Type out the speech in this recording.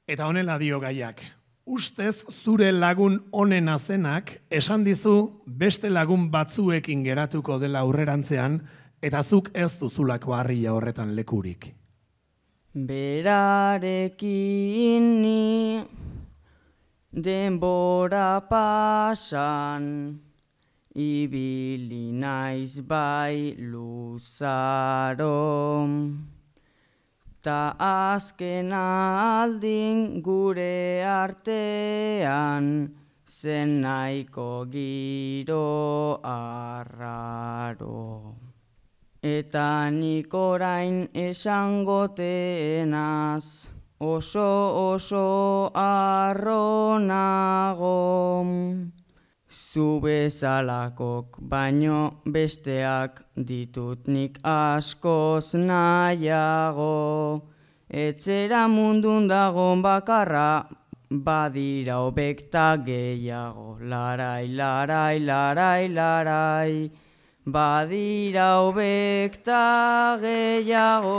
Eta honela dio gaiak. Ustez zure lagun onena zenak esan dizu beste lagun batzuekin geratuko dela aurrerantzean eta zuk ez duzulako harria horretan lekurik. Berarekin ni denbora pasan, ibili naiz bai luzaro. Ta azken aldin gure artean, zen nahiko giro arraro. Eta nik orain esangoteenaz, oso arro nago. Zu bezalakok baino besteak ditut nik askoz nahiago. Etzera mundun dagon bakarra, badira hobekta gehiago. Larai, larai, larai, larai, badira hobekta gehiago.